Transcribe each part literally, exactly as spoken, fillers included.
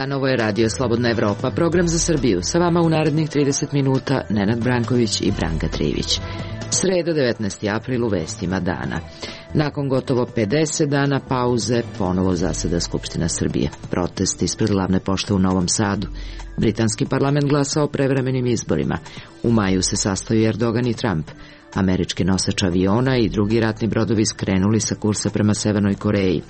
dan, ovo je Radio Slobodna Evropa, program za Srbiju. Sa vama u narednih trideset minuta Nenad Branković i Branka Trivić. Sreda, devetnaesti april, u vestima dana. Nakon gotovo pedeset dana pauze, ponovo zaseda Skupština Srbije. Protest ispred glavne pošte u Novom Sadu. Britanski parlament glasa o prevremenim izborima. U maju se sastaju Erdogan i Trump. Američki nosač aviona i drugi ratni brodovi skrenuli sa kursa prema Severnoj Koreji.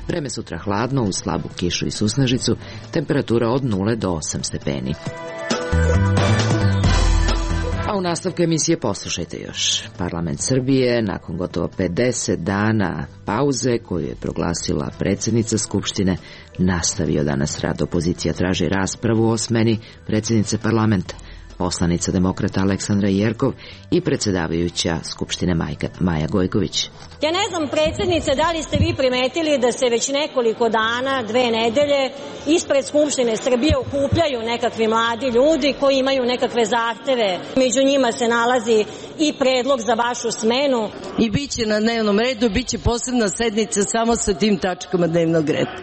Vreme sutra hladno, uz slabu kišu i susnežicu, temperatura od nule do osam stepeni. A u nastavku emisije poslušajte još. Parlament Srbije, nakon gotovo pedeset dana pauze koju je proglasila predsjednica Skupštine, nastavio danas rad. Opozicija traži raspravu o smeni predsjednice parlamenta. Poslanica demokrata Aleksandra Jerkov i predsjedavajuća Skupštine Majka, Maja Gojković. Ja ne znam, predsjednice, da li ste vi primetili da se već nekoliko dana, dve nedelje, ispred Skupštine Srbije okupljaju nekakvi mladi ljudi koji imaju nekakve zahteve. Među njima se nalazi i predlog za vašu smenu. I bit će na dnevnom redu, bit će posebna sednica samo sa tim tačkama dnevnog reda.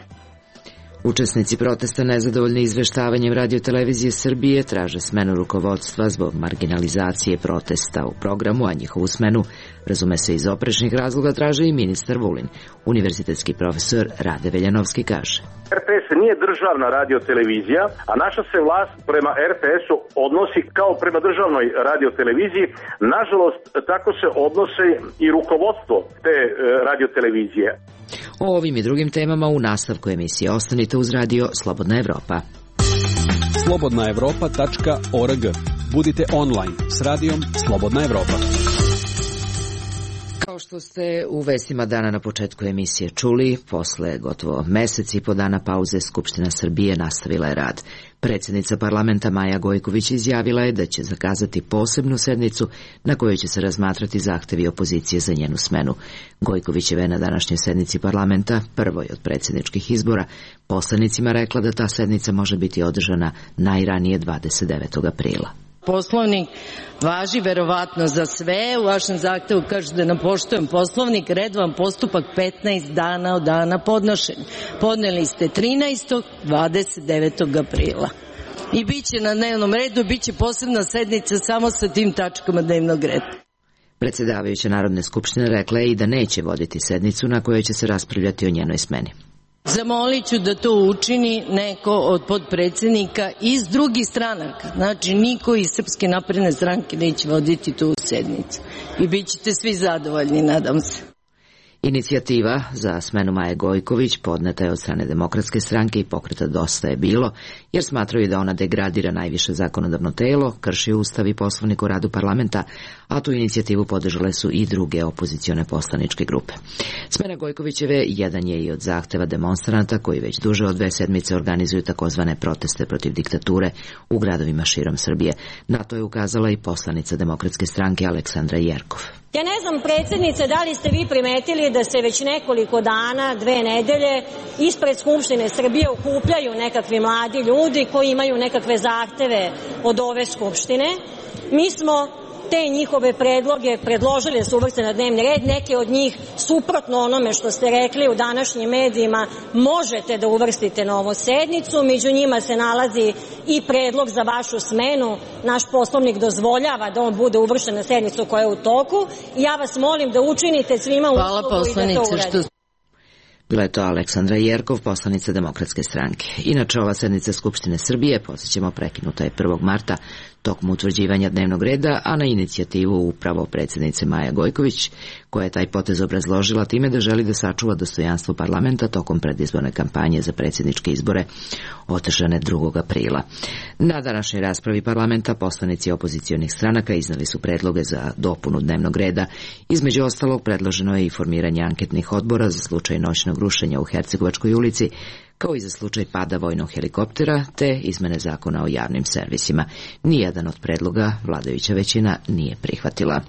Učesnici protesta nezadovoljni izveštavanjem Radio-televizije Srbije traže smenu rukovodstva zbog marginalizacije protesta u programu, a njihovu smenu, razume se iz oprečnih razloga, traže i ministar Vulin. Univerzitetski profesor Rade Veljanovski kaže: er te es nije državna radiotelevizija, a naša se vlast prema er te esu odnosi kao prema državnoj radioteleviziji. Nažalost, tako se odnose i rukovodstvo te e, radiotelevizije. O ovim i drugim temama u nastavku emisije ostanite uz Radio Slobodna Evropa. slobodna evropa tačka org. Budite online s Radijom Slobodna Evropa. Kao što ste u vestima dana na početku emisije čuli, posle gotovo mesec i po dana pauze Skupština Srbije nastavila je rad. Predsjednica parlamenta Maja Gojković izjavila je da će zakazati posebnu sednicu na kojoj će se razmatrati zahtevi opozicije za njenu smenu. Gojkovićeva je na današnjoj sednici parlamenta, prvoj od predsjedničkih izbora, poslanicima rekla da ta sednica može biti održana najranije dvadeset devetog aprila. Poslovnik važi verovatno za sve. U vašem zahtevu kaže da napoštujem Poslovnik. Redovan postupak petnaest dana od dana podnošenja. Podneli ste trinaestog, dvadeset devetog aprila. I bit će na dnevnom redu, bit će posebna sednica samo sa tim tačkama dnevnog reda. Predsjedavajuća Narodne skupštine rekla je i da neće voditi sednicu na kojoj će se raspravljati o njenoj smeni. Zamolit ću da to učini neko od podpredsjednika iz drugih stranaka. Znači, niko iz Srpske napredne stranke neće voditi tu sednicu. I bit ćete svi zadovoljni, nadam se. Inicijativa za smenu Maje Gojković podneta je od strane Demokratske stranke i Pokreta Dosta je bilo, jer smatraju da ona degradira najviše zakonodavno telo, krši Ustav i Poslovnik o radu parlamenta, a tu inicijativu podržale su i druge opozicione poslaničke grupe. Smena Gojkovićeve jedan je i od zahteva demonstranata koji već duže od dve sedmice organizuju takozvane proteste protiv diktature u gradovima širom Srbije. Na to je ukazala i poslanica Demokratske stranke Aleksandra Jerkov. Ja ne znam, predsjednice, da li ste vi primetili da se već nekoliko dana, dve nedelje, ispred Skupštine Srbije okupljaju nekakvi mladi ljudi koji imaju nekakve zahteve od ove Skupštine. Mi smo te njihove predloge predložili da se uvrste na dnevni red. Neke od njih, suprotno onome što ste rekli u današnjim medijima, možete da uvrstite na ovu sednicu. Među njima se nalazi i predlog za vašu smenu. Naš Poslovnik dozvoljava da on bude uvršten na sednicu koja je u toku. I ja vas molim da učinite svima uslugu i da to uradite. Bila je to Aleksandra Jerkov, poslanica Demokratske stranke. Inače, ova sednica Skupštine Srbije, podsjećamo, prekinuta je prvog marta tokom utvrđivanja dnevnog reda, a na inicijativu upravo predsjednice Maja Gojković, koja je taj potez obrazložila time da želi da sačuva dostojanstvo parlamenta tokom predizborne kampanje za predsjedničke izbore održane drugog aprila. Na današnjoj raspravi parlamenta poslanici opozicionih stranaka iznali su predloge za dopunu dnevnog reda. Između ostalog, predloženo je i formiranje anketnih odbora za slučaj noćnog rušenja u Hercegovačkoj ulici, kao i za slučaj pada vojnog helikoptera, te izmene zakona o javnim servisima. Nijedan od predloga vladajuća većina nije prihvatila.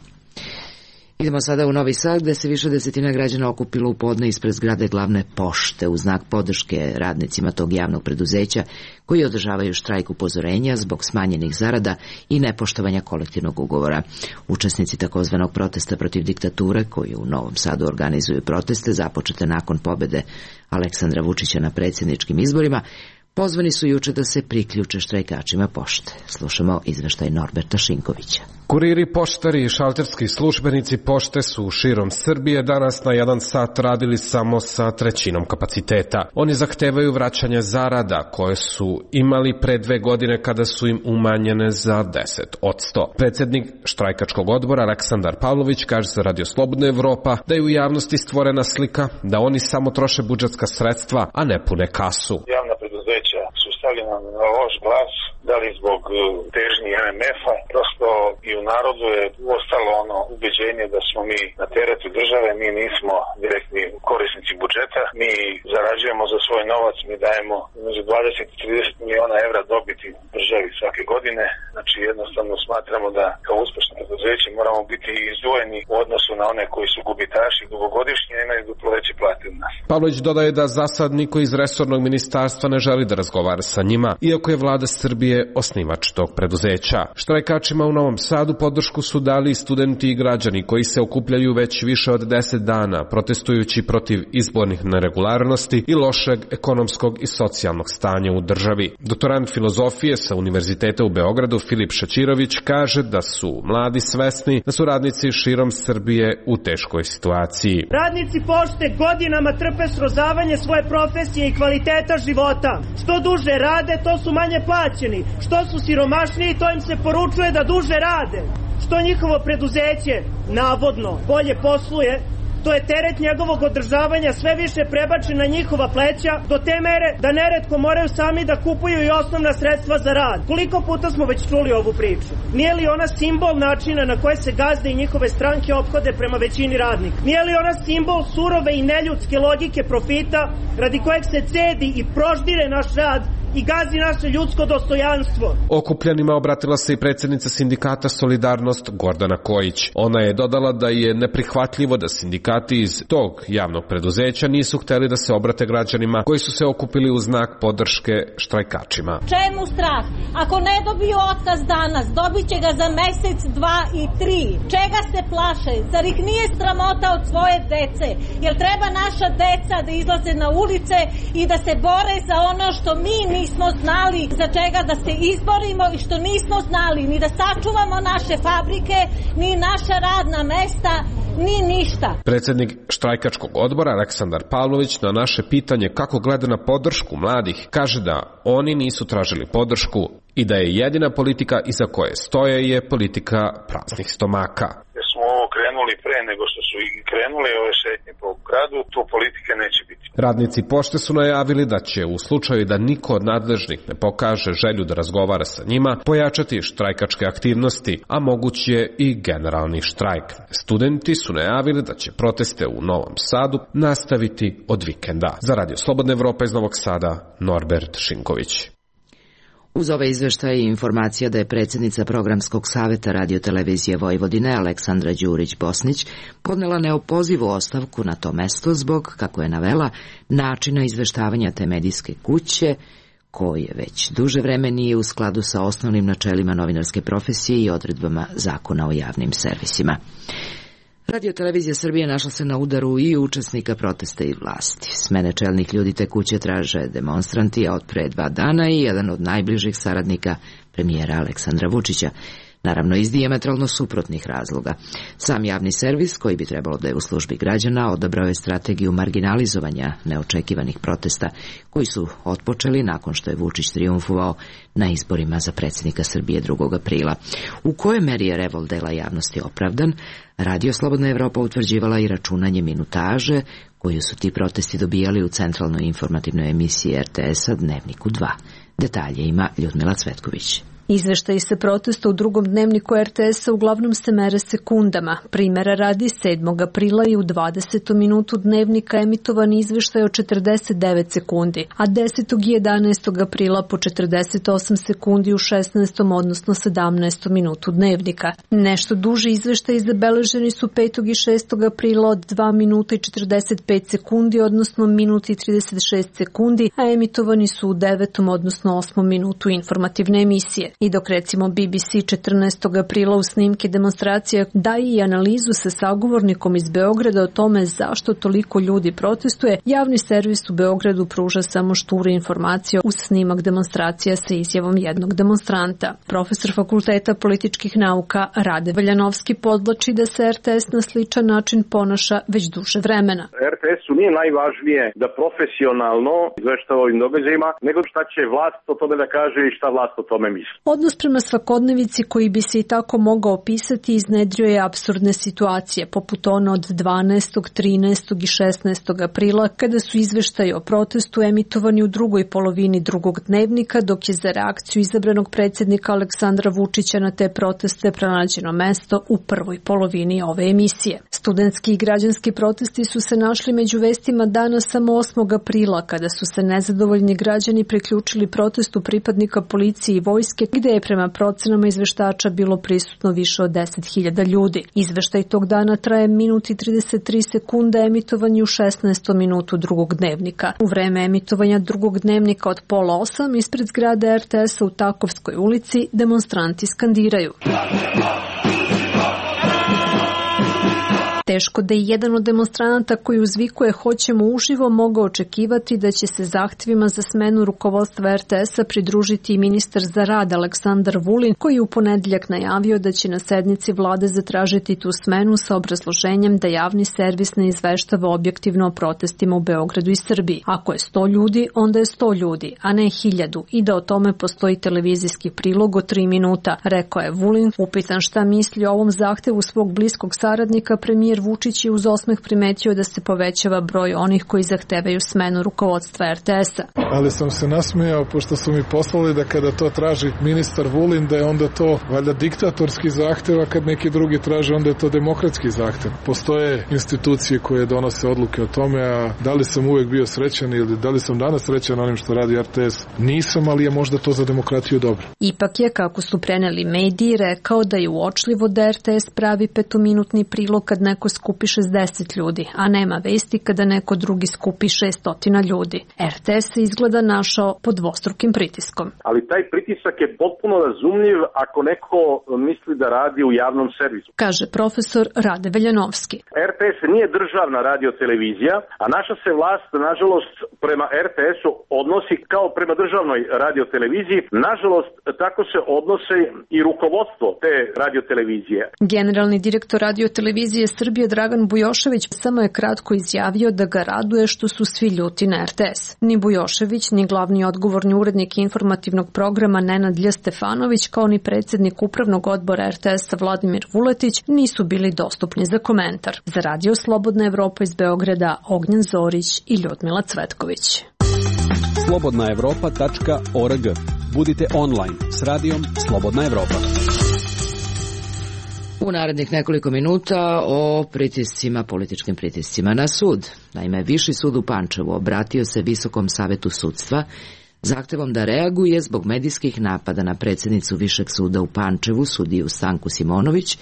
Idemo sada u Novi Sad, gde se više desetina građana okupilo u podne ispred zgrade glavne pošte u znak podrške radnicima tog javnog preduzeća koji održavaju štrajk upozorenja zbog smanjenih zarada i nepoštovanja kolektivnog ugovora. Učesnici takozvanog protesta protiv diktature, koji u Novom Sadu organizuju proteste započete nakon pobede Aleksandra Vučića na predsjedničkim izborima, pozvani su juče da se priključe štrajkačima pošte. Slušamo izveštaj Norberta Šinkovića. Kuriri, poštari i šalterski službenici pošte su širom Srbije danas na jedan sat radili samo sa trećinom kapaciteta. Oni zahtevaju vraćanje zarada koje su imali pre dve godine kada su im umanjene za deset odsto. Predsednik štrajkačkog odbora Aleksandar Pavlović kaže za Radio Slobodna Evropa da je u javnosti stvorena slika da oni samo troše budžetska sredstva, a ne pune kasu. Javna preduzeća su stavljena na loš glas, da li zbog težnji em em ef-a, prosto i u narodu je ostalo ono ubeđenje da smo mi na teretu države, mi nismo direktni korisnici budžeta, mi zarađujemo za svoj novac, mi dajemo među dvadeset i trideset miliona evra dobiti državi svake godine, znači jednostavno smatramo da kao uspešno preduzeće moramo biti izdvojeni u odnosu na one koji su gubitaši dugogodišnji i imaju duplo veće plate od nas. Pavlović dodaje da za sad niko iz resornog ministarstva ne želi da razgovara sa njima, iako je vlada Srbije osnivač tog preduzeća. Štrajkačima u Novom Sadu podršku su dali i studenti i građani koji se okupljaju već više od deset dana, protestujući protiv izbornih neregularnosti i lošeg ekonomskog i socijalnog stanja u državi. Doktorant filozofije sa Univerziteta u Beogradu Filip Šaćirović kaže da su mladi svesni da su radnici širom Srbije u teškoj situaciji. Radnici pošte godinama trpe srozavanje svoje profesije i kvaliteta života. Što duže rade, to su manje plaćeni. Što su siromašniji, to im se poručuje da duže rade. Što njihovo preduzeće, navodno, bolje posluje, to je teret njegovog održavanja sve više prebačen na njihova pleća, do te mere da neretko moraju sami da kupuju i osnovna sredstva za rad. Koliko puta smo već čuli ovu priču? Nije li ona simbol načina na koje se gazde i njihove stranke ophode prema većini radnika? Nije li ona simbol surove i neljudske logike profita radi kojeg se cedi i proždire naš rad i gazi naše ljudsko dostojanstvo? Okupljanima obratila se i predsjednica sindikata Solidarnost Gordana Kojić. Ona je dodala da je neprihvatljivo da sindikati iz tog javnog preduzeća nisu hteli da se obrate građanima koji su se okupili u znak podrške štrajkačima. Čemu strah? Ako ne dobiju otkaz danas, dobit će ga za mesec, dva i tri. Čega se plaše? Zar ih nije sramota od svoje dece? Jel treba naša deca da izlaze na ulice i da se bore za ono što mi nismo znali za čega da se izborimo i što nismo znali ni da sačuvamo naše fabrike, ni naša radna mesta, ni ništa. Predsednik štrajkačkog odbora Aleksandar Pavlović na naše pitanje kako gleda na podršku mladih kaže da oni nisu tražili podršku i da je jedina politika iza koje stoje je politika praznih stomaka. Jer smo ovo krenuli pre nego što su i krenuli ove šetnje po gradu, to politike neće biti. Radnici pošte su najavili da će u slučaju da niko od nadležnih ne pokaže želju da razgovara sa njima, pojačati štrajkačke aktivnosti, a moguć je i generalni štrajk. Studenti su najavili da će proteste u Novom Sadu nastaviti od vikenda. Za Radio Slobodna Evropa iz Novog Sada, Norbert Šinković. Uz ove izveštaje i informacija da je predsjednica Programskog saveta Radio-televizije Vojvodine Aleksandra Đurić-Bosnić podnela neopozivu ostavku na to mesto zbog, kako je navela, načina izveštavanja te medijske kuće, koje već duže vreme nije u skladu sa osnovnim načelima novinarske profesije i odredbama Zakona o javnim servisima. Radio-televizija Srbije našla se na udaru i učesnika protesta i vlasti. Smene čelnih ljudi te kuće traže demonstranti, a od pre dva dana i jedan od najbližih saradnika premijera Aleksandra Vučića. Naravno, iz dijametralno suprotnih razloga. Sam javni servis, koji bi trebalo da je u službi građana, odabrao je strategiju marginalizovanja neočekivanih protesta, koji su otpočeli nakon što je Vučić trijumfovao na izborima za predsjednika Srbije drugog aprila. U kojoj meri je revolt dela javnosti opravdan, Radio Slobodna Evropa utvrđivala i računanje minutaže koju su ti protesti dobijali u centralnoj informativnoj emisiji er te es-a Dnevniku dva. Detalje ima Ljudmila Cvetković. Izveštaji sa protesta u drugom dnevniku er te es-a uglavnom se mere sekundama. Primera radi, sedmog aprila i u dvadesetom minutu dnevnika emitovan izveštaj o četrdeset devet sekundi, a desetog i jedanaestog aprila po četrdeset osam sekundi u šesnaestom odnosno sedamnaestom minutu dnevnika. Nešto duži izveštaji zabeleženi su petog i šestog aprila od dva minuta i četrdeset pet sekundi, odnosno minut i trideset šest sekundi, a emitovani su u devetom odnosno osmom minutu informativne emisije. I dok recimo B B C četrnaestog aprila u snimke demonstracija daje i analizu sa sagovornikom iz Beograda o tome zašto toliko ljudi protestuje, javni servis u Beogradu pruža samo šture informacije uz snimak demonstracija sa izjavom jednog demonstranta. Profesor Fakulteta političkih nauka Rade Veljanovski podvlači da se R T S na sličan način ponaša već duže vremena. R T S-u nije najvažnije da profesionalno izveštava ovim događajima, nego šta će vlast o tome da kaže i šta vlast o tome misli. Odnos prema svakodnevici koji bi se i tako mogao opisati iznedrio je apsurdne situacije, poput ono od dvanaestog, trinaestog i šesnaestog aprila, kada su izveštaji o protestu emitovani u drugoj polovini drugog dnevnika, dok je za reakciju izabranog predsjednika Aleksandra Vučića na te proteste pronađeno mesto u prvoj polovini ove emisije. Studentski i građanski protesti su se našli među vestima dana samo osmog aprila, kada su se nezadovoljni građani priključili protestu pripadnika policije i vojske, gde je prema procenama izveštača bilo prisutno više od deset hiljada ljudi. Izveštaj tog dana traje minut i trideset tri sekunde, emitovan je u šesnaestom minutu drugog dnevnika. U vreme emitovanja drugog dnevnika od pola osam ispred zgrade R T S-a u Takovskoj ulici demonstranti skandiraju. Teško da je jedan od demonstranata koji uzvikuje "Hoćemo uživo" mogao očekivati da će se zahtjevima za smenu rukovodstva R T S-a pridružiti i ministar za rad Aleksandar Vulin, koji je u ponedeljak najavio da će na sednici vlade zatražiti tu smenu sa obrazloženjem da javni servis ne izveštava objektivno o protestima u Beogradu i Srbiji. Ako je sto ljudi, onda je sto ljudi, a ne hiljadu, i da o tome postoji televizijski prilog od tri minuta, rekao je Vulin. Upitan šta misli o ovom zahtevu svog bliskog saradnika, premijer Vučić je uz osmeh primetio da se povećava broj onih koji zahtevaju smenu rukovodstva R T S-a. Ali sam se nasmejao pošto su mi poslali da kada to traži ministar Vulin da je onda to valjda diktatorski zahtev, a kad neki drugi traže onda je to demokratski zahtev. Postoje institucije koje donose odluke o tome, a da li sam uvek bio srećan ili da li sam danas srećan onim što radi R T S, nisam, ali je možda to za demokratiju dobro. Ipak je, kako su preneli mediji, rekao da je uočljivo da R T S pravi petominutni prilog kad neko skupi šezdeset ljudi, a nema vesti kada neko drugi skupi šessto ljudi. R T S se izgleda našao pod dvostrukim pritiskom. Ali taj pritisak je potpuno razumljiv ako neko misli da radi u javnom servisu, kaže profesor Rade Veljanovski. R T S nije državna radiotelevizija, a naša se vlast, nažalost, prema R T S-u odnosi kao prema državnoj radioteleviziji. Nažalost, tako se odnose i rukovodstvo te radiotelevizije. Generalni direktor radiotelevizije Srbije Dragan Bujošević samo je kratko izjavio da ga raduje što su svi ljuti na R T S. Ni Bujošević, ni glavni odgovorni urednik informativnog programa Nenad Lj. Stefanović, kao ni predsjednik upravnog odbora R T S-a Vladimir Vuletić nisu bili dostupni za komentar. Za Radio Slobodna Evropa iz Beograda, Ognjen Zorić i Ljudmila Cvetković. slobodna evropa tačka org. Budite online s radijom Slobodna Evropa. U narednih nekoliko minuta o pritiscima, političkim pritiscima na sud. Naime, Viši sud u Pančevu obratio se Visokom savetu sudstva zahtevom da reaguje zbog medijskih napada na predsjednicu Višeg suda u Pančevu, sudiju Stanku Simonović,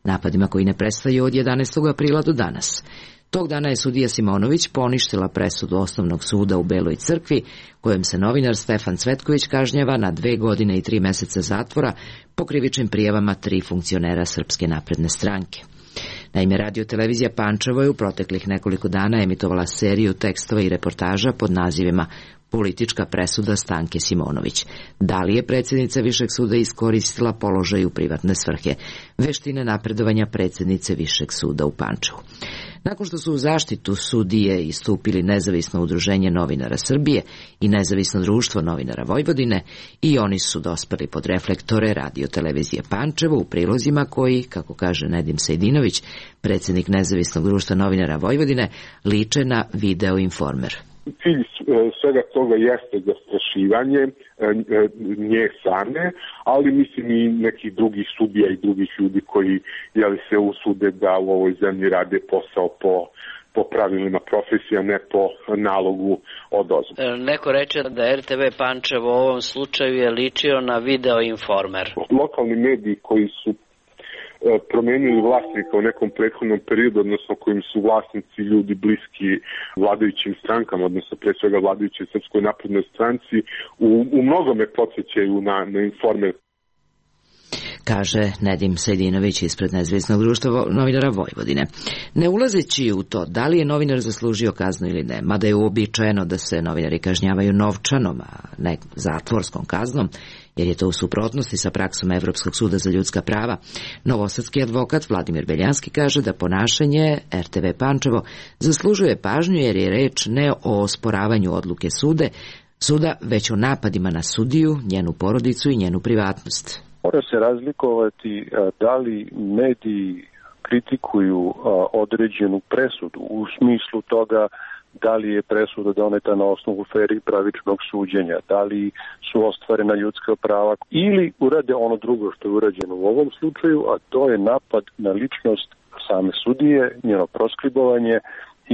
napadima koji ne prestaju od jedanaestog aprila do danas. Tog dana je sudija Simonović poništila presudu Osnovnog suda u Beloj Crkvi, kojem se novinar Stefan Cvetković kažnjava na dve godine i tri meseca zatvora po krivičnim prijavama tri funkcionera Srpske napredne stranke. Naime, radiotelevizija Pančevo je u proteklih nekoliko dana emitovala seriju tekstova i reportaža pod nazivima Politička presuda Stanke Simonović. Da li je predsjednica Višeg suda iskoristila položaj u privatne svrhe? Veštine napredovanja predsjednice Višeg suda u Pančevu. Nakon što su u zaštitu sudije istupili Nezavisno udruženje novinara Srbije i Nezavisno društvo novinara Vojvodine, i oni su dospeli pod reflektore radiotelevizije Pančevo u prilozima koji, kako kaže Nedim Sejdinović, predsjednik Nezavisnog društva novinara Vojvodine, liče na Video Informer. Cilj svega toga jeste zastrašivanje nje same, ali mislim i nekih drugih sudija i drugih ljudi koji jeli se usude da u ovoj zemlji rade posao po po pravilima profesija, ne po nalogu odozgo. Neko reče da R T V Pančevo u ovom slučaju je ličio na Video Informer. Lokalni mediji koji su promenili vlasnika u nekom prethodnom periodu, odnosno kojim su vlasnici ljudi bliski vladajućim strankama, odnosno pre svega vladajućoj Srpskoj naprednoj stranci, u, u mnogome podsjećaju na, na Informer. kaže Nedim Sejdinović ispred Nezavisnog društva novinara Vojvodine. Ne ulazeći u to da li je novinar zaslužio kaznu ili ne, mada je uobičajeno da se novinari kažnjavaju novčanom, a ne zatvorskom kaznom, jer je to u suprotnosti sa praksom Evropskog suda za ljudska prava, novosadski advokat Vladimir Beljanski kaže da ponašanje er te ve Pančevo zaslužuje pažnju jer je reč ne o osporavanju odluke sude, suda, već o napadima na sudiju, njenu porodicu i njenu privatnost. Mora se razlikovati da li mediji kritikuju određenu presudu u smislu toga da li je presuda doneta na osnovu fer i pravičnog suđenja, da li su ostvarena ljudska prava ili urade ono drugo što je urađeno u ovom slučaju, a to je napad na ličnost same sudije, njeno proskribovanje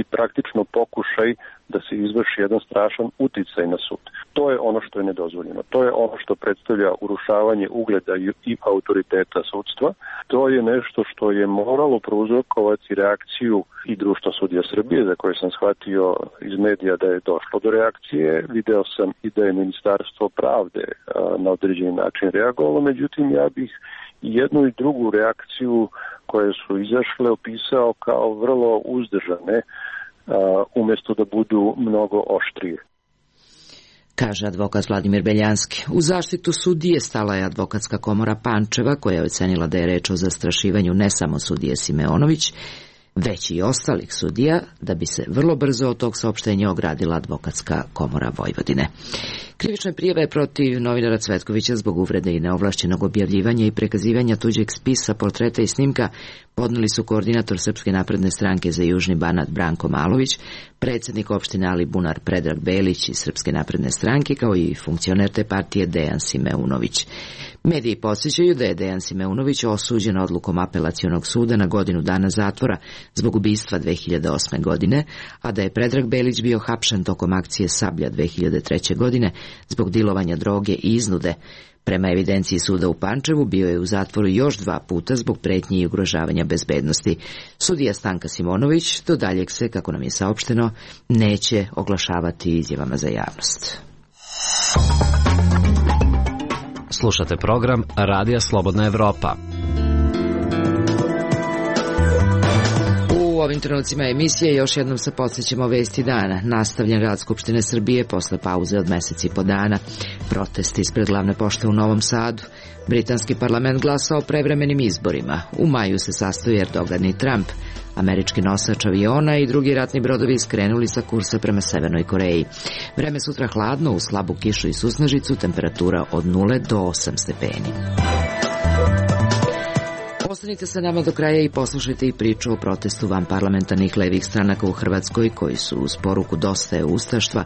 i praktično pokušaj da se izvrši jedan strašan uticaj na sud. To je ono što je nedozvoljeno. To je ono što predstavlja urušavanje ugleda i autoriteta sudstva. To je nešto što je moralo prouzrokovati reakciju i Društva sudija Srbije, za koje sam shvatio iz medija da je došlo do reakcije. Video sam i da je Ministarstvo pravde na određeni način reagovalo, međutim ja bih jednu i drugu reakciju koje su izašle opisao kao vrlo uzdržane, umjesto da budu mnogo oštrije. Kaže advokat Vladimir Beljanski. U zaštitu sudije stala je advokatska komora Pančeva, koja je ocenila da je reč o zastrašivanju ne samo sudije Simeonović, već i ostalih sudija, da bi se vrlo brzo od tog saopštenja ogradila advokatska komora Vojvodine. Krivične prijave protiv novinara Cvetkovića zbog uvrede i neovlašćenog objavljivanja i prekazivanja tuđeg spisa, portreta i snimka podneli su koordinator Srpske napredne stranke za Južni Banat Branko Malović, predsjednik opštine Alibunar Predrag Belić iz Srpske napredne stranke, kao i funkcioner te partije Dejan Simeunović. Mediji podsjećaju da je Dejan Simeunović osuđen odlukom apelacionog suda na godinu dana zatvora zbog ubistva dve hiljade osme. godine, a da je Predrag Belić bio hapšen tokom akcije Sablja dve hiljade treće. godine zbog dilovanja droge i iznude. Prema evidenciji suda u Pančevu bio je u zatvoru još dva puta zbog pretnji i ugrožavanja bezbednosti. Sudija Stanka Simonović do daljeg se, kako nam je saopšteno, neće oglašavati izjavama za javnost. Slušate program Radija Slobodna Evropa. U ovim trenucima emisije još jednom se podsjećamo vesti dana. Nastavljen rad Skupštine Srbije posle pauze od meseci i po dana. Protesti ispred glavne pošte u Novom Sadu. Britanski parlament glasa o prevremenim izborima. U maju se sastoji Erdogan i Trump. Američki nosač aviona i drugi ratni brodovi skrenuli sa kursa prema Severnoj Koreji. Vreme sutra hladno, uz slabu kišu i susnežicu, temperatura od nule do osam stepeni. Ostanite sa nama do kraja i poslušajte i priču o protestu vanparlamentarnih levih stranaka u Hrvatskoj, koji su uz poruku Dosta je ustaštva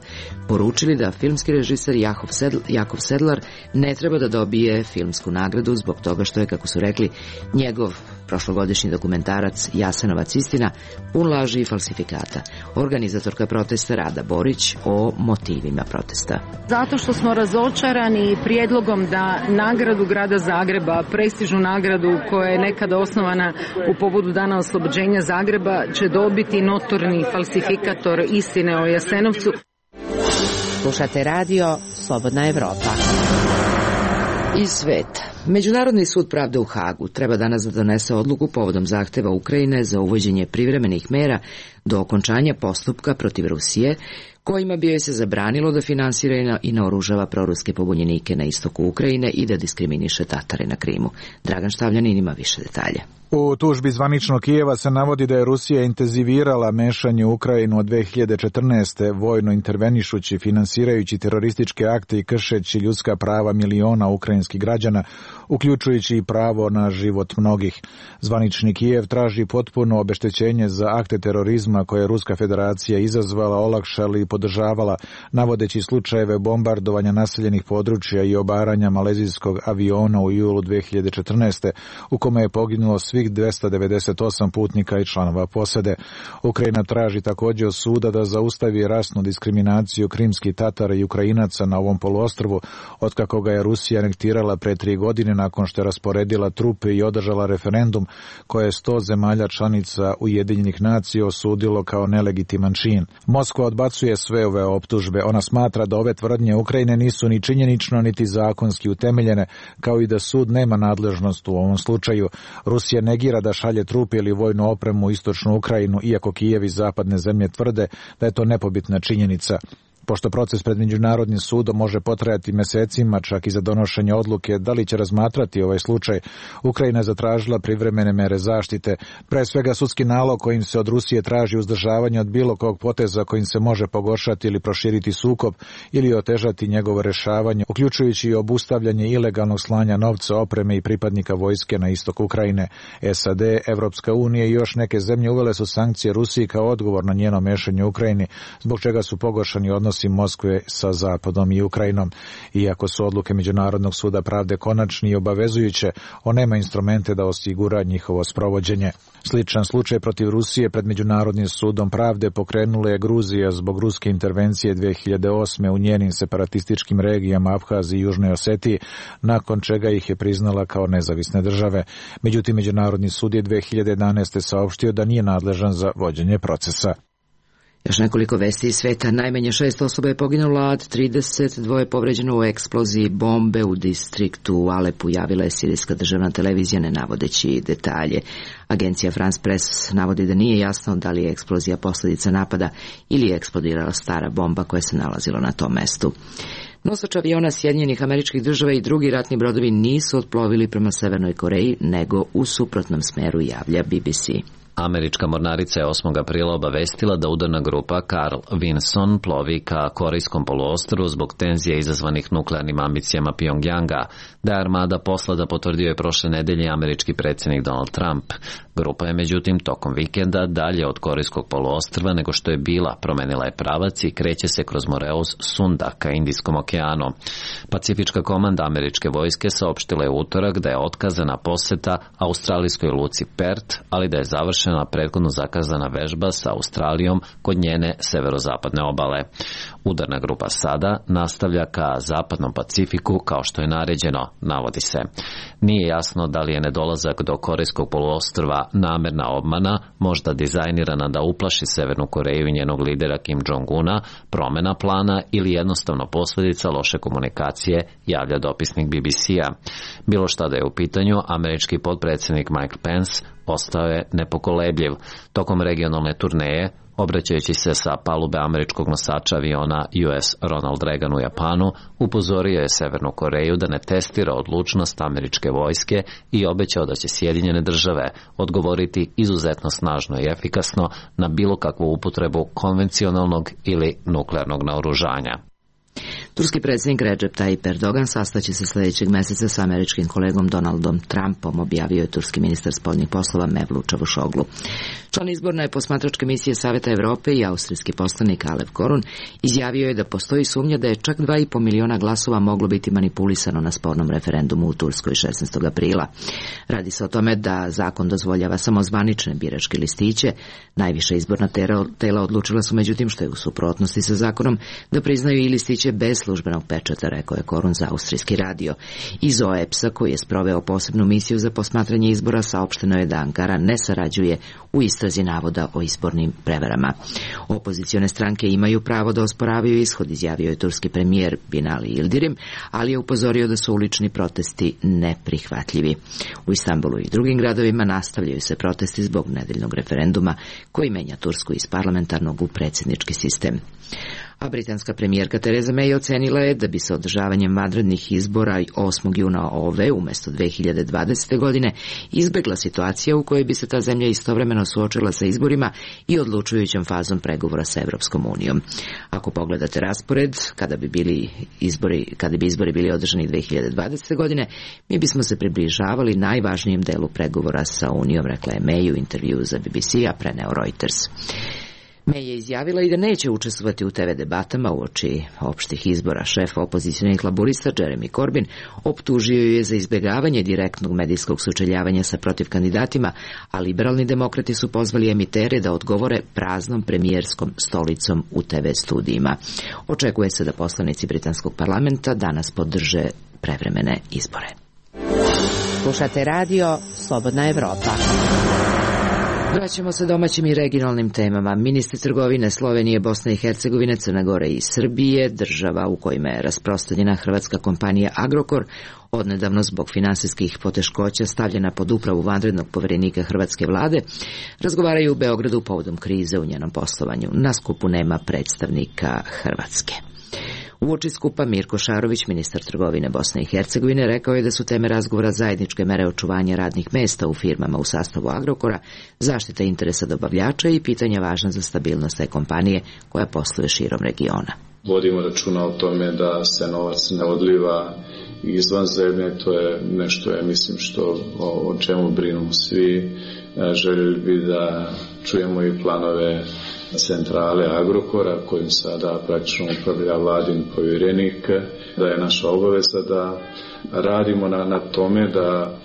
poručili da filmski režiser Jakov Sedl, Jakov Sedlar ne treba da dobije filmsku nagradu zbog toga što je, kako su rekli, njegov prošlogodišnji dokumentarac Jasenovac istina pun laži i falsifikata. Organizatorka protesta Rada Borić o motivima protesta. Zato što smo razočarani prijedlogom da nagradu grada Zagreba, prestižnu nagradu koja je nekada osnovana u povodu Dana oslobođenja Zagreba, će dobiti notorni falsifikator istine o Jasenovcu. Slušate radio Slobodna Evropa. Iz sveta. Međunarodni sud pravde u Hagu treba danas da donese odluku povodom zahteva Ukrajine za uvođenje privremenih mera do okončanja postupka protiv Rusije, kojima bi joj se zabranilo da finansira i naoružava proruske pobunjenike na istoku Ukrajine i da diskriminiše Tatare na Krimu. Dragan Štavljanin ima više detalja. U tužbi zvaničnog Kijeva se navodi da je Rusija intenzivirala mešanje u Ukrajinu od dve hiljade četrnaeste. vojno intervenišući, finansirajući terorističke akte i kršeći ljudska prava miliona ukrajinskih građana, uključujući i pravo na život mnogih. Zvanični Kijev traži potpuno obeštećenje za akte terorizma koje je Ruska federacija izazvala, olakšala i podržavala, navodeći slučajeve bombardovanja naseljenih područja i obaranja malezijskog aviona u julu dve hiljade četrnaeste. u kome je poginulo svih dvesta devedeset osam putnika i članova posade. Ukrajina traži također od suda da zaustavi rasnu diskriminaciju krimskih Tatara i Ukrajinaca na ovom poluostrvu, otkako ga je Rusija anektirala pre tri godine nakon što je rasporedila trupe i održala referendum koje je sto zemalja članica Ujedinjenih nacija osudilo ludilo kao nelegitiman čin. Moskva odbacuje sve ove optužbe. Ona smatra da ove tvrdnje Ukrajine nisu ni činjenično niti zakonski utemeljene, kao i da sud nema nadležnost u ovom slučaju. Rusija negira da šalje trupe ili vojnu opremu u istočnu Ukrajinu, iako Kijev i zapadne zemlje tvrde da je to nepobitna činjenica. Pošto proces pred Međunarodnim sudom može potrajati mesecima, čak i za donošenje odluke da li će razmatrati ovaj slučaj, Ukrajina je zatražila privremene mere zaštite, pre svega sudski nalog kojim se od Rusije traži uzdržavanje od bilo kog poteza kojim se može pogoršati ili proširiti sukob ili otežati njegovo rešavanje, uključujući i obustavljanje ilegalnog slanja novca, opreme i pripadnika vojske na istok Ukrajine. S A D, Evropska unija i još neke zemlje uvele su sankcije Rusiji kao odgovor na njeno mešanje u Ukrajini, zbog čega su pogoršani odnosi Moskve sa Zapadom i Ukrajinom. Iako su odluke Međunarodnog suda pravde konačni i obavezujuće, on nema instrumente da osigura njihovo sprovođenje. Sličan slučaj protiv Rusije pred Međunarodnim sudom pravde pokrenula je Gruzija zbog ruske intervencije dve hiljade osme u njenim separatističkim regijama Abhaziji i Južnoj Osetiji, nakon čega ih je priznala kao nezavisne države. Međutim, Međunarodni sud je dve hiljade jedanaeste saopštio da nije nadležan za vođenje procesa. Još nekoliko vesti iz sveta. Najmanje šest osoba je poginulo, a trideset dva je povređeno u eksploziji bombe u distriktu u Alepu, javila je sirijska državna televizija ne navodeći detalje. Agencija France Press navodi da nije jasno da li je eksplozija posljedica napada ili je eksplodirala stara bomba koja se nalazila na tom mestu. Nosač aviona Sjedinjenih Američkih Država i drugi ratni brodovi nisu otplovili prema Severnoj Koreji, nego u suprotnom smeru, javlja B B C. Američka mornarica je osmog aprila obavestila da udarna grupa Carl Vinson plovi ka Korejskom poluostrvu zbog tenzija izazvanih nuklearnim ambicijama Pjongjanga. Da je armada poslata potvrdio je prošle nedelje američki predsjednik Donald Trump. Grupa je međutim tokom vikenda dalje od Korejskog poluostrva nego što je bila, promenila je pravac i kreće se kroz Moreus Sunda ka Indijskom okeanu. Pacifička komanda američke vojske saopštila je u utorak da je otkazana poseta australijskoj luci Perth, ali da je završena prethodno zakazana vežba sa Australijom kod njene severozapadne obale. Udarna grupa sada nastavlja ka zapadnom Pacifiku kao što je naređeno, navodi se. Nije jasno da li je nedolazak do Korejskog poluostrva namerna obmana, možda dizajnirana da uplaši Severnu Koreju i njenog lidera Kim Jong-una, promena plana ili jednostavno posljedica loše komunikacije, javlja dopisnik B B C-a. Bilo šta da je u pitanju, američki potpredsjednik Mike Pence ostao je nepokolebljiv. Tokom regionalne turneje, obraćajući se sa palube američkog nosača aviona U S Ronald Reagan u Japanu, upozorio je Severnu Koreju da ne testira odlučnost američke vojske i obećao da će Sjedinjene države odgovoriti izuzetno snažno i efikasno na bilo kakvu upotrebu konvencionalnog ili nuklearnog naoružanja. Turski predsjednik Recep Tayyip Erdogan sastaće se sljedećeg meseca sa američkim kolegom Donaldom Trumpom, objavio je turski ministar spoljnih poslova Mevlut Čavuşoglu. Član izborne posmatračke misije Saveta Evrope i austrijski poslanik Alev Korun izjavio je da postoji sumnja da je čak dva i po miliona glasova moglo biti manipulisano na spornom referendumu u Turskoj šesnaestog aprila. Radi se o tome da zakon dozvoljava samo zvanične biračke listiće. Najviša izborna tela odlučila su međutim, što je u suprotnosti sa zakonom, da priznaju i listiće bez službenog pečata, rekao je Korun za austrijski radio. Iz O E P S-a, koji je sproveo posebnu misiju za posmatranje izbora, saopšteno je da Ankara ne sarađuje u istrazi navoda o izbornim prevarama. Opozicione stranke imaju pravo da osporavaju ishod, izjavio je turski premijer Binali Yildirim, ali je upozorio da su ulični protesti neprihvatljivi. U Istanbulu i drugim gradovima nastavljaju se protesti zbog nedeljnog referenduma koji menja Tursku iz parlamentarnog u predsjednički sistem. A britanska premijerka Theresa May ocenila je da bi se održavanjem vanrednih izbora osmog juna ove umjesto dve hiljade dvadesete. godine izbegla situacija u kojoj bi se ta zemlja istovremeno suočila sa izborima i odlučujućom fazom pregovora sa Evropskom unijom. Ako pogledate raspored, kada bi bili izbori, kada bi izbori bili održani dve hiljade dvadesete. godine, mi bismo se približavali najvažnijem delu pregovora sa Unijom, rekla je May u intervju za B B C, a preneo Reuters. May je izjavila i da neće učestvovati u T V debatama uoči opštih izbora. Šef opozicionih laburista Jeremy Corbyn optužio je za izbjegavanje direktnog medijskog sučeljavanja sa protiv kandidatima, a liberalni demokrati su pozvali emitere da odgovore praznom premijerskom stolicom u T V studijima. Očekuje se da poslanici britanskog parlamenta danas podrže prevremene izbore. Slušate radio Slobodna Evropa. Vraćamo se domaćim i regionalnim temama. Ministri trgovine Slovenije, Bosne i Hercegovine, Crne Gore i Srbije, država u kojima je rasprostranjena hrvatska kompanija Agrokor, odnedavno zbog finansijskih poteškoća stavljena pod upravu vanrednog poverenika hrvatske vlade, razgovaraju u Beogradu povodom krize u njenom poslovanju. Na skupu nema predstavnika Hrvatske. Uoči skupa Mirko Šarović, ministar trgovine Bosne i Hercegovine, rekao je da su teme razgovora zajedničke mere očuvanja radnih mesta u firmama u sastavu Agrokora, zaštita interesa dobavljača i pitanja važna za stabilnost te kompanije koja posluje širom regiona. Vodimo računa o tome da se novac ne odliva izvan zemlje, to je nešto, je, mislim, što o, o čemu brinu svi. Željeli bi da čujemo i planove centrale Agrokora, kojim sada praktično upravlja vladin povjerenik, da je naša obaveza da radimo na, na tome da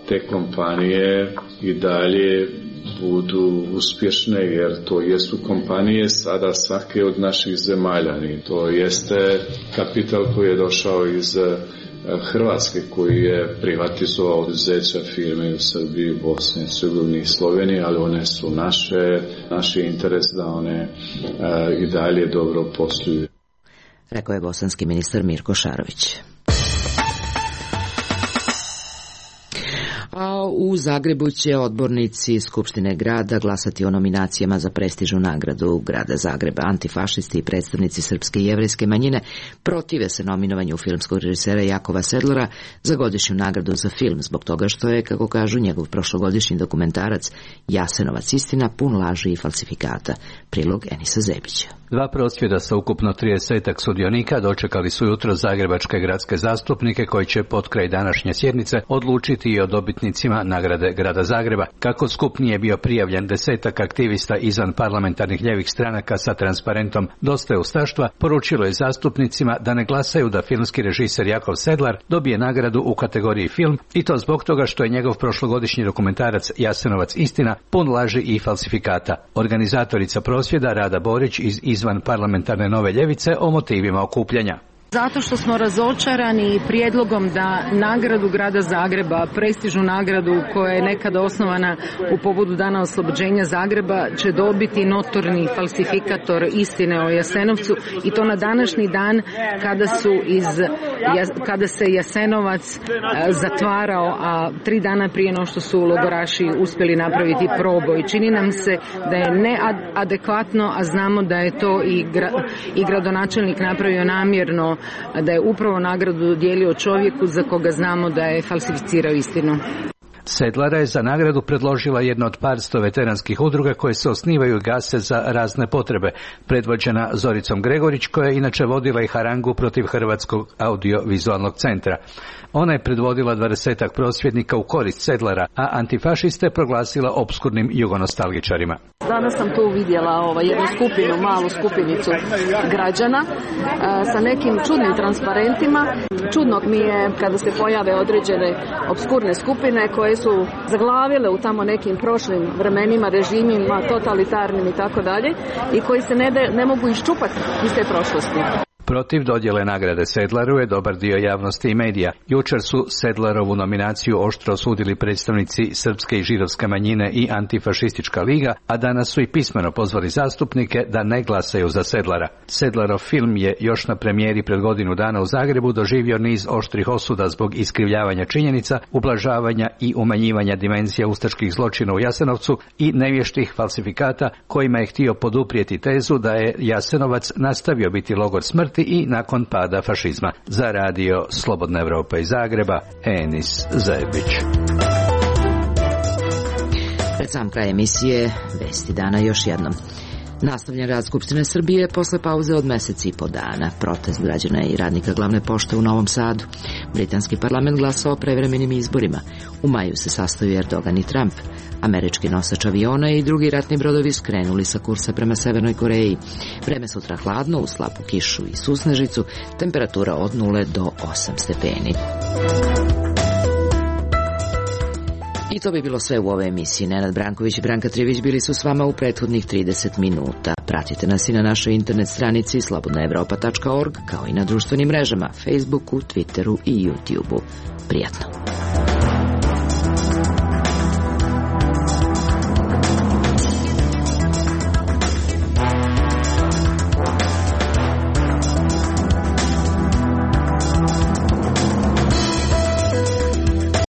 te kompanije i dalje budu uspješne, jer to jesu kompanije sada svake od naših zemalja. To jeste kapital koji je došao iz Hrvatske, koji je privatizovao oduzeća firme u Srbiji, Bosni, Hercegovini i Sloveniji, ali one su naše, naš je interes da one a, i dalje dobro posluju. Rekao je bosanski ministar Mirko Šarović. A u Zagrebu će odbornici Skupštine grada glasati o nominacijama za prestižnu nagradu grada Zagreba. Antifašisti i predstavnici srpske i jevrejske manjine protive se nominovanju filmskog režisera Jakova Sedlara za godišnju nagradu za film, zbog toga što je, kako kažu, njegov prošlogodišnji dokumentarac Jasenovac istina pun laži i falsifikata. Prilog Enisa Zebića. Dva prosvjeda sa ukupno tridesetak sudionika dočekali su jutro zagrebačke gradske zastupnike koji će pod kraj današnje sjednice odlučiti i o dobitnicima nagrade grada Zagreba. Kako skup nije bio prijavljen desetak aktivista izvan parlamentarnih ljevih stranaka sa transparentom Dosta je ustaštva, poručilo je zastupnicima da ne glasaju da filmski režiser Jakov Sedlar dobije nagradu u kategoriji film, i to zbog toga što je njegov prošlogodišnji dokumentarac Jasenovac istina pun laži i falsifikata. Organizatorica prosvjeda Rada Borić iz izvan parlamentarne Nove ljevice o motivima okupljanja. Zato što smo razočarani prijedlogom da nagradu grada Zagreba, prestižnu nagradu koja je nekada osnovana u povodu dana oslobođenja Zagreba, će dobiti notorni falsifikator istine o Jasenovcu, i to na današnji dan kada su iz kada se Jasenovac zatvarao, a tri dana prije no što su logoraši uspjeli napraviti proboj. Čini nam se da je neadekvatno, a znamo da je to i, gra, i gradonačelnik napravio namjerno, da je upravo nagradu dijelio čovjeku za koga znamo da je falsificirao istinu. Sedlara je za nagradu predložila jedna od parsto veteranskih udruga koje se osnivaju i gase za razne potrebe, predvođena Zoricom Gregorić, koja je inače vodila i harangu protiv Hrvatskog audiovizualnog centra. Ona je predvodila dvadesetak prosvjednika u korist Sedlara, a antifašiste proglasila opskurnim jugonostalgičarima. Danas sam tu vidjela ovaj, jednu skupinu, malu skupinicu građana e, sa nekim čudnim transparentima. Čudno mi je kada se pojave određene opskurne skupine koje su zaglavile u tamo nekim prošlim vremenima, režimima, totalitarnim i tako dalje, i koji se ne, de, ne mogu iščupati iz te prošlosti. Protiv dodjele nagrade Sedlaru je dobar dio javnosti i medija. Jučer su Sedlarovu nominaciju oštro osudili predstavnici srpske i židovske manjine i antifašistička liga, a danas su i pismeno pozvali zastupnike da ne glasaju za Sedlara. Sedlarov film je još na premijeri pred godinu dana u Zagrebu doživio niz oštrih osuda zbog iskrivljavanja činjenica, ublažavanja i umanjivanja dimenzija ustaških zločina u Jasenovcu i nevještih falsifikata kojima je htio poduprijeti tezu da je Jasenovac nastavio biti logor smrti i nakon pada fašizma. Za radio Slobodna Evropa iz Zagreba, Enis Zajebić. Pred sam kraj emisije, vesti dana još jednom. Nastavljen rad Skupštine Srbije posle pauze od meseci i po dana. Protest građana i radnika glavne pošte u Novom Sadu. Britanski parlament glasao o prevremenim izborima. U maju se sastaju Erdogan i Trump. Američki nosač aviona i drugi ratni brodovi skrenuli sa kursa prema Severnoj Koreji. Vreme sutra hladno, uz slabu kišu i susnežicu, temperatura od nule do osam stepeni. I to bi bilo sve u ovoj emisiji. Nenad Branković i Branka Trivić bili su s vama u prethodnih trideset minuta. Pratite nas i na našoj internet stranici slobodna evropa tačka org, kao i na društvenim mrežama, Facebooku, Twitteru i YouTubeu. Prijatno!